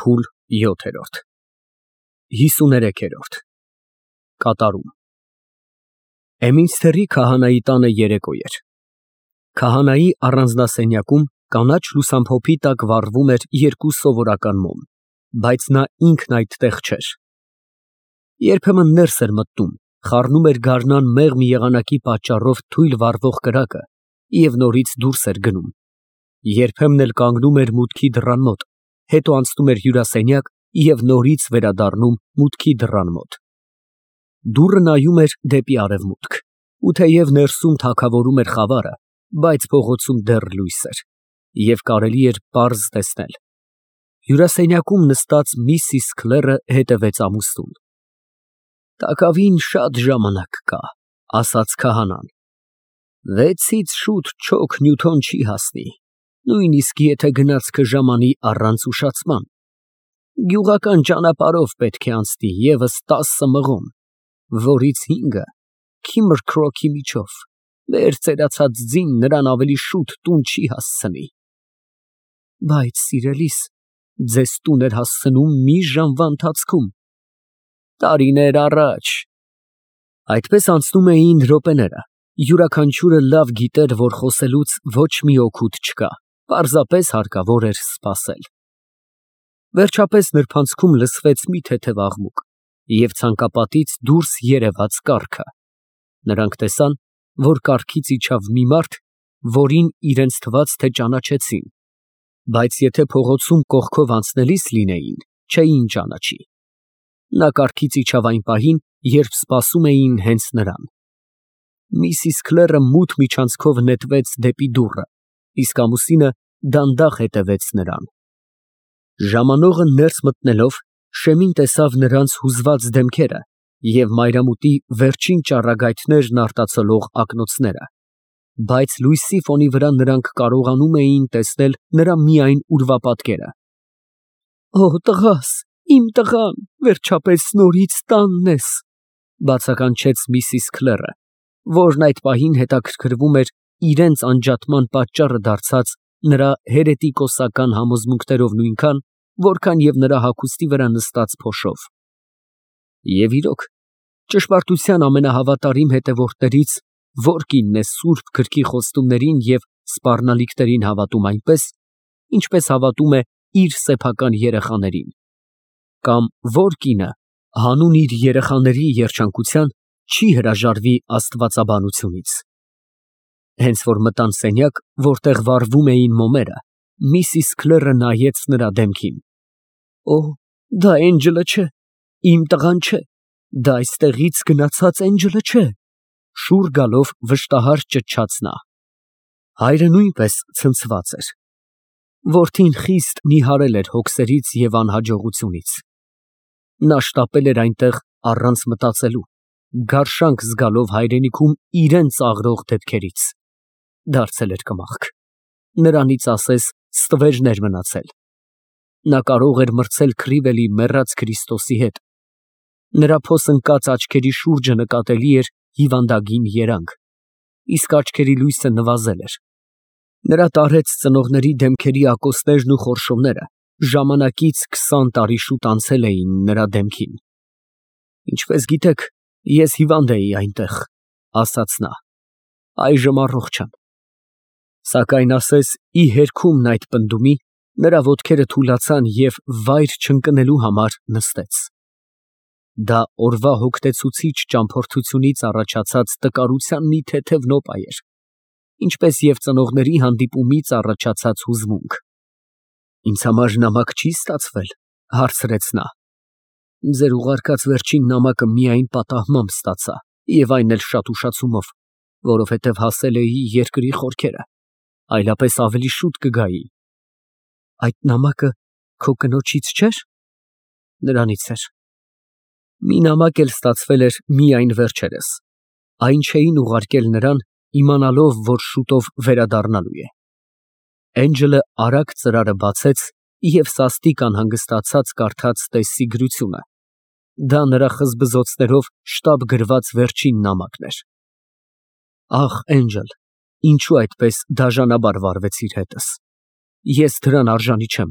Փուլ 7։ 53։ Կատարում Էմինստերի քահանայի տանը երեկո էր։ Քահանայի առանձնասենյակում կանաչ լուսամփոփի տակ վառվում էր երկու սովորական մոմ, բայց նա ինքն այդտեղ չէր։ Երբեմն ներս էր մտնում, խառնում էր գարնան մեղմ եղանակի պատճառով թույլ վառվող կրակը և նորից դուրս էր գնում, երբեմն էլ կանգնում էր մուտքի դռան մոտ, հետո անցնում էր հյուրասենյակ և նորից վերադառնում մուտքի դռան մոտ։ Դուռը նայում էր դեպի արևմուտք, ու թեև ներսում թագավորում էր խավարը, բայց փողոցում դեռ լույս էր, և կարելի էր պարզ տեսնել։ Հյուրասենյակում նստած միսիս Քլերը հետևեց ամուսնուն։ «Տակավին շատ ժամանակ կա», ֊ ասաց քահանան։ «6-ից շուտ չոք Նյութոն չի հասնի, նույնիսկ եթե գնացքը ժամանի առանց ուշացման։ Գյուղական ճանապարհով պետք է անցնի ևս 10 մղոն, որից 5-ը Քիմր Քրոքի միջով, մեր ծերացած ձին նրան ավելի շուտ տուն չի հասցնի»։ «Բայց, սիրելիս, ձեզ տուն էր հասցնում մի ժամվա ընթացքում»։ «Տարիներ առաջ»։ Այդպես անցնում էին րոպեները, յուրաքանչյուրը լավ գիտեր, որ խոսելուց ոչ մի օգուտ չկա, պարզապես հարկավոր էր սպասել։ Վերջապես նրբանցքում լսվեց մի թեթև աղմուկ, և ցանկապատից դուրս երևաց կառքը։ Նրանք տեսան, որ կառքից իջավ մի մարդ, որին իրենց թվաց, թե ճանաչեցին, բայց եթե փողոցում կողքով անցնելիս լինեին, չէին ճանաչի։ Նա կառքից իջավ այն պահին, երբ սպասում էին հենց նրան։ Միսիս Քլերը մութ միջանցքով նետվեց դեպի դուռը, իսկ ամուսինը դանդաղ հետևեց նրան։ Ժամանողը ներս մտնելով, շեմին տեսավ նրանց հուզված դեմքերը և մայրամուտի վերջին ճառագայթներն արտացոլող ակնոցները, բայց լույսի ֆոնի վրա նրանք կարողանում էին տեսնել նրա միայն ուրվապատկերը։ «Օ, տղաս, իմ տղան, վերջապես նորից տանն ես», ֊ բացականչեց միսիս Քլերը, որն այդ պահին հետաքրքրվում էր իրենց անջատման պատճառը դարձած նրա հերետիկոսական համոզմունքներով նույնքան, որքան և նրա հագուստի վրա նստած փոշով։ Եվ իրոք, ճշմարտության ամենահավատարիմ հետևորդներից ո՞ր կինն է սուրբ գրքի խոստումներին և սպառնալիքներին հավատում այնպես, ինչպես հավատում է իր սեփական երեխաներին, կամ ո՞ր կինը հանուն իր երեխաների երջանկության չի հրաժարվի աստվածաբանությունից։ Հենց որ մտան սենյակ, որտեղ վառվում էին մոմերը, միսիս Քլերը նայեց նրա դեմքին։ «Օ, դա Էնջելը չէ, իմ տղան չէ, դա այստեղից գնացած Էնջելը չէ», ֊ շուռ գալով վշտահար ճչաց նա։ Հայրը նույնպես ցնցված էր։ Որդին խիստ նիհարել էր հոգսերից և անհաջողությունից։ Նա շտապել էր այնտեղ առանց մտածելու, գարշանք զգալով հայրենիքում իրան ծաղրող դեպքերից։ Դարձել էր կմախք։ Նրանից ասես ստվերներ մնացել։ Նա կարող էր մրցել քրիվելի մեռած Քրիստոսի հետ։ Նրա փոս ընկած աչքերի շուրջը նկատելի էր հիվանդագին երանգ, իսկ աչքերի լույսը նվազել էր։ Նրա տարեց ծնողների դեմքերի ակոսներն ու խորշումները ժամանակից 20 տարի շուտ անցել էին նրա դեմքին։ «Ինչպես գիտեք, ես հիվանդ էի այնտեղ», ֊ ասաց նա, «այժմ առողջ եմ»։ Սակայն ասես ի հերքումն այդ պնդումի, նրա ոտքերը թուլացան և վայր չընկնելու համար նստեց։ Դա օրվա հոգնեցուցիչ ճամփորդությունից առաջացած տկարության մի թեթև նոպա էր, ինչպես և ծնողների հանդիպումից առաջացած հուզմունք։ «Ինձ համար նամակ չի ստացվել», ֊ հարցրեց նա։ «Ձեր ուղարկած վերջին նամակը միայն պատահմամբ ստացա, և այն էլ շատ ուշացումով, որովհետև հասել էի երկրի խորքերը, այլապես ավելի շուտ կգայի»։ «Այդ նամակը քո կնոջից չէ՞ր»։ «Նրանից էր»։ Մի նամակ էլ ստացվել էր միայն վերջերս։ Այն չէին ուղարկել նրան, իմանալով, որ շուտով վերադառնալու է։ Էնջելը արագ ծրարը բացեց և սաստիկ անհանգստացած կարդաց տեսիգրությունը։ Դա նրա խզբզոցներով շտապ գրված վերջին նամակն էր։ «Ախ, Էնջել, ինչու այդպես դաժանաբար վարվեցիր հետս։ Ես դրան արժանի չեմ։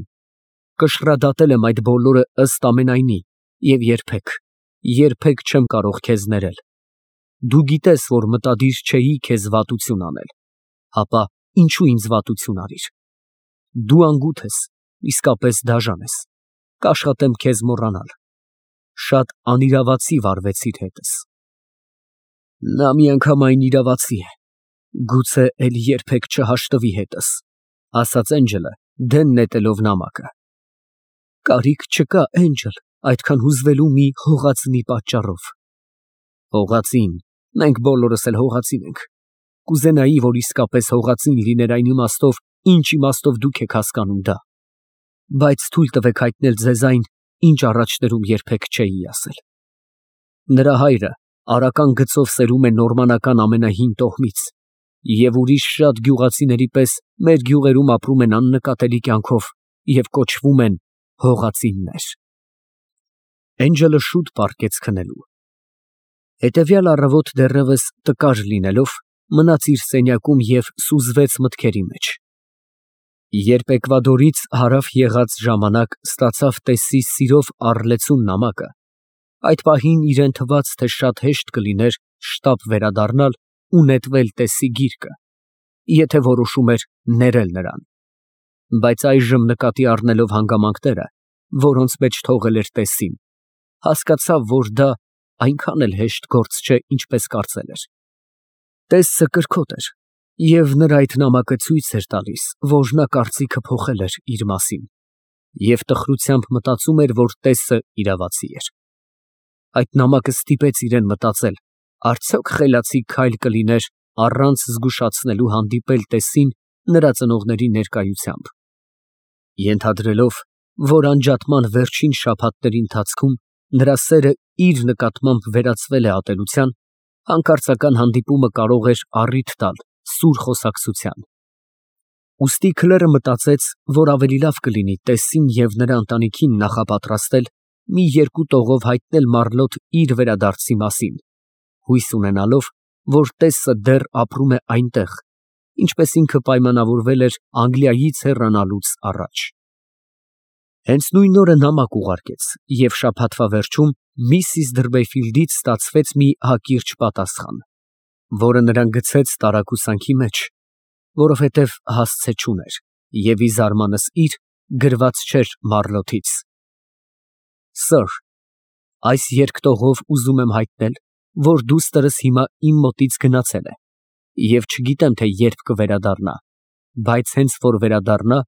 կշռադատել եմ այդ բոլորը ըստ ամենայնի և երբեք չեմ կարող քեզ ներել։ Դու գիտես, որ մտադիր չէի քեզ վատություն անել, ապա ինչու ինձ վատություն արիր։ Դու անգութ ես, իսկապես դաժան ես, կաշխատեմ քեզ մոռանալ։ Շատ անիրավացի վարվեցիր հետս։ Նա միանգամայն իրավացի է, գուցե էլ երբեք չհաշտվի հետս, ասաց Էնջելը դեն նետելով նամակը։ Կարիք չկա, Էնջել, այդքան հուզվելու մի հողածնի պատճառով։ Հողածին, մենք բոլորս էլ հողածին ենք։ Կուզենայի, որ իսկապես հողածին լիներ այն իմաստով, ինչ իմաստով դուք եք հասկանում դա։ Բայց թույլ տվեք հայտնել ձեզ այն, ինչ առաջներում երբեք չէի ասել։ Նրա հայրը արական գծով սերում է նորմանական ամենահին տոհմից, և ուրիշ շատ գյուղացիների պես մեր գյուղերում ապրում են աննկատելի կյանքով և կոչվում են հողածիններ։ Էնջելը շուտ պառկեց քնելու։ Հետևյալ առավոտ դեռևս տկար լինելով, մնաց իր սենյակում և սուզվեց մտքերի մեջ։ Երբ Էկվադորից հարավ եղած ժամանակ ստացավ Տեսսի սիրով առլեցուն նամակը, այդ պահին իրան թվաց, թե շատ հեշտ կլիներ շտապ վերադառնալ ու նետվել Տեսսի գիրկը, եթե որոշում էր ներել նրան։ Բայց այժմ նկատի առնելով հանգամանքները, որոնց մեջ թողել էր Տեսսին, հասկացավ, որ դա այնքան էլ հեշտ գործ չէ, ինչպես կարծել էր։ Տեսսը կրքոտ էր, և նրա այդ նամակը ցույց էր տալիս, որ նա կարծիքը փոխել էր իր մասին, և տխրությամբ մտածում էր, որ Տեսսը իրավացի էր։ Այդ նամակը ստիպեց իրեն մտածել, արդյոք խելացի քայլ կլիներ առանց զգուշացնելու հանդիպել Տեսսին նրա ծնողների ներկայությամբ։ Ենթադրելով, որ անջատման վերջին շաբաթների ընթացքում նրա սերը իր նկատմամբ վերածվել է ատելության, հանկարծական հանդիպումը կարող էր առիթ տալ սուր խոսակցության։ Ուստի քլերը մտածեց, որ ավելի լավ կլինի Տեսսին և նրա ընտանիքին նախապատրաստել մի երկու տողով հայտնել Մարլոտ իր վերադարձի մասին, հույս ունենալով, որ Տեսսը դեռ ապրում է այնտեղ, ինչպես ինքը պայմանավորվել էր Անգլիայից հեռանալուց առաջ։ Հենց նույն օրը նամակ ուղարկեց, և շաբաթվա վերջում միսիս Դրբեֆիլդից ստացվեց մի հակիրճ պատասխան, որը նրան գցեց տարակուսանքի մեջ, որովհետև հասցե չուներ, և ի զարմանս իր գրված չէր Մարլոթից. Սըր, այս երկտողով ուզում եմ հայտնել, որ դուստրս հիմա իմ մոտից գնացել է, և չգիտեմ, թե երբ կվերադառնա, բայց հենց որ վերադառնա,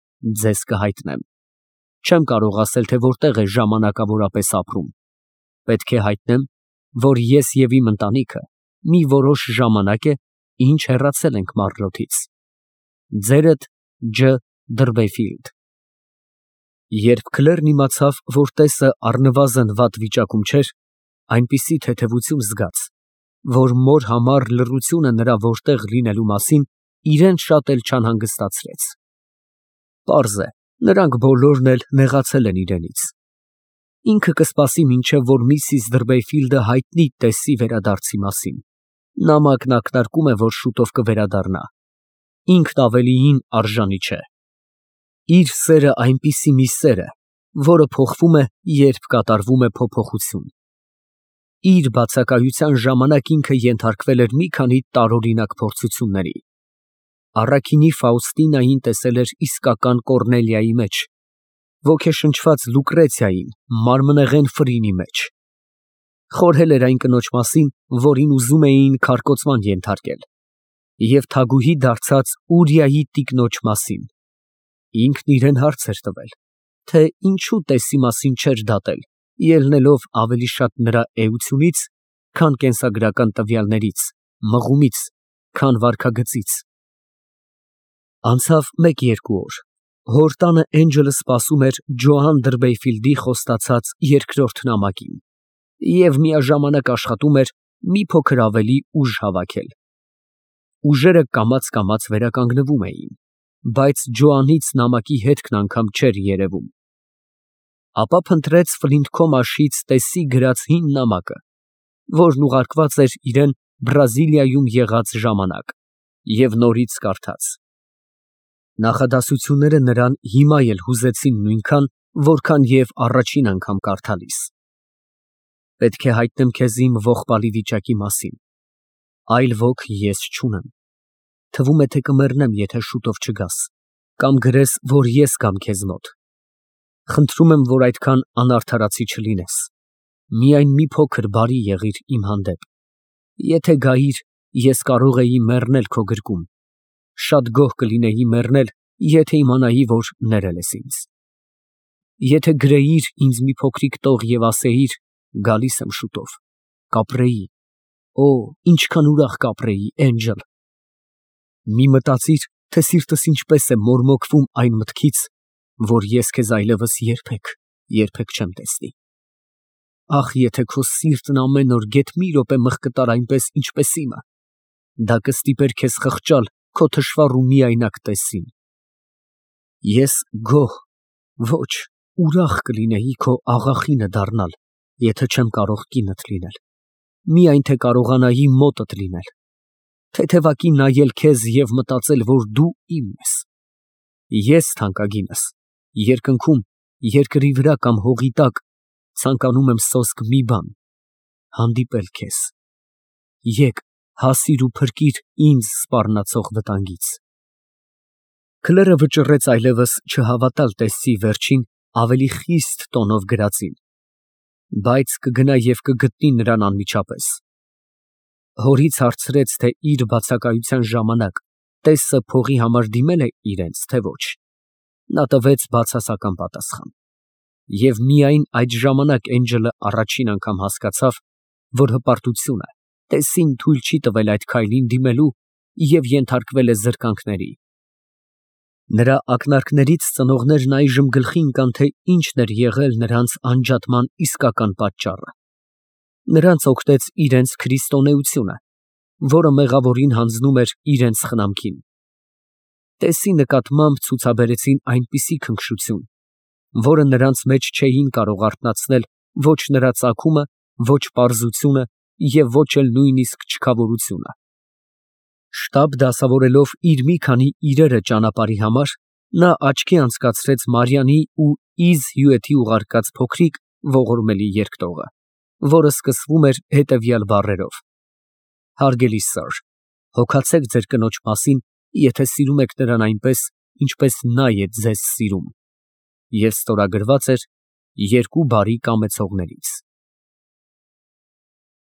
ձեզ կհայտնեմ։ Չեմ կարող ասել, թե որտեղ է ժամանակավորապես ապրում։ Պետք է հայտնեմ, որ ես և իմ ընտանիքը մի որոշ ժամանակ է, ինչ հեռացել ենք Մարլոթից։ Ձերդ Ջ. Դրբեֆիլդ։ Երբ քլերն իմացավ, որ Տեսսը առնվազն վատ վիճակում չէր, այնպիսի թեթևություն զգաց, որ մոր համար լռությունը նրա որտեղ լինելու մասին իրեն շատ էլ չանհանգստացրեց։ Պարզ է, նրանք բոլորն էլ նեղացել են իրենից։ Ինքը կսպասի, մինչև որ միսիս Դրբեֆիլդը հայտնի Տեսսի վերադարձի մասին։ Նամակն ակնարկում է, որ շուտով կվերադառնա։ Ինքն ավելիին արժանի չէ։ Իր սերը այնպիսի մի սեր է, որը փոխվում է, երբ կատարվում է փոփոխություն։ Իր բացակայության ժամանակ ինքը ենթարկվել էր մի քանի տարօրինակ փորձությունների։ Առաքինի Ֆաուստինային տեսել էր իսկական Կոռնելիայի մեջ, ոգեշնչված Լուկրեցիային մարմնեղեն Ֆրինի մեջ։ Խորհել էր այն կնոջ մասին, որին ուզում էին քարկոծման ենթարկել, և թագուհի դարձած Ուրիայի տիկնոջ մասին։ Ինքն իրեն հարց էր տվել, թե ինչու Տեսսի մասին չէր դատել, ելնելով ավելի շատ նրա էությունից, քան կենսագրական տվյալներից, մղումից, քան վարքագծից։ Անցավ մեկ֊երկու օր։ Հոր տանը Էնջելը սպասում էր Ջոան Դրբեֆիլդի խոստացած երկրորդ նամակին և միաժամանակ աշխատում էր մի փոքր ավելի ուժ հավաքել։ Ուժերը կամաց վերականգնվում էին, բայց Ջոանից նամակի հետքն անգամ չէր երևում։ Ապա փնտրեց Ֆլինթքոմաշից Տեսսի գրած հին նամակը, որն ուղարկված էր իրան Բրազիլիայում եղած ժամանակ, և նորից կարդաց։ Նախադասությունները նրան հիմա էլ հուզեցին նույնքան, որքան և առաջին անգամ կարդալիս։ Պետք է հայտնեմ քեզ իմ ողբալի վիճակի մասին, այլ ոք ես չունեմ։ Թվում է, թե կմեռնեմ, եթե շուտով չգաս, կամ գրես, որ ես գամ քեզ մոտ։ Խնդրում եմ, որ այդքան անարդարացի չլինես, միայն մի փոքր բարի եղիր իմ հանդեպ։ Եթե գայիր, ես կարող էի մեռնել քո գրկում, շատ գոհ կլինեի մեռնել, եթե իմանայի, որ ներել ես ինձ։ Եթե գրեիր ինձ մի փոքրիկ տող և ասեիր, գալիս եմ շուտով, կապրեի, օ, ինչքան ուրախ կապրեի, Էնջել։ Մի մտածիր, թե սիրտս ինչպես է մորմոքվում այն մտքից, որ ես քեզ այլևս երբեք չեմ տեսնի։ Ախ, եթե քո սիրտն ամեն օր գեթ մի րոպե մղկտար այնպես, ինչպես իմը, դա կստիպեր քեզ խղճալ քո թշվառ ու միայնակ տեսին։ Ես գոհ, ոչ, ուրախ կլինեի քո աղախինը դառնալ, եթե չեմ կարող կինդ լինել, միայն թե կարողանայի մոտդ լինել, թեթևակի նայել քեզ և մտածել, որ դու իմն ես։ Ես, թանկագինս, երկնքում, երկրի վրա կամ հողի տակ ցանկանում եմ սոսկ մի բան, հանդիպել քեզ։ Եկ, հասիր ու փրկիր ինձ սպառնացող վտանգից։ Քլերը վճռեց այլևս չհավատալ տեսցի վերջին, ավելի խիստ տոնով գրածին, բայց կգնա և կգտնի նրան անմիջապես։ Հորից հարցրեց, թե իր բացակայության ժամանակ տեսը փողի համար դիմել է իրենց, թե ոչ։ Նա տվեց բացասական պատասխան։ Եվ միայն այդ ժամանակ Էնջելը առաջին անգամ հասկացավ, որ հպարտությունը տեսին թույլ չի տվել այդ քայլին դիմելու և ենթարկվել է զրկանքների։ Նրա ակնարկներից ծնողներն այժմ գլխի ընկան, թե ինչն էր եղել նրանց անջատման իսկական պատճառը։ Նրանց օգնեց իրենց քրիստոնեությունը, որը մեղավորին հանձնում էր իրենց խնամքին։ Տեսի նկատմամբ ցուցաբերեցին այնպիսի քնքշություն, որը նրանց մեջ չէին կարող արթնացնել ոչ նրա ծագումը, ոչ պարզությունը և ոչ էլ նույնիսկ չքավորությունը։ Շտապ դասավորելով իր մի քանի իրերը ճանապարհի համար, նա աչքի անցկացրեց Մարիանի ու Իզ հյութի ուղարկած փոքրիկ ողորմելի երկտողը, որը սկսվում էր հետևյալ բառերով. Հարգելի սըր, հոգացեք ձեր կնոջ մասին, եթե սիրում եք նրան այնպես, ինչպես նա է ձեզ սիրում, և ստորագրված էր երկու բարի կամեցողներից։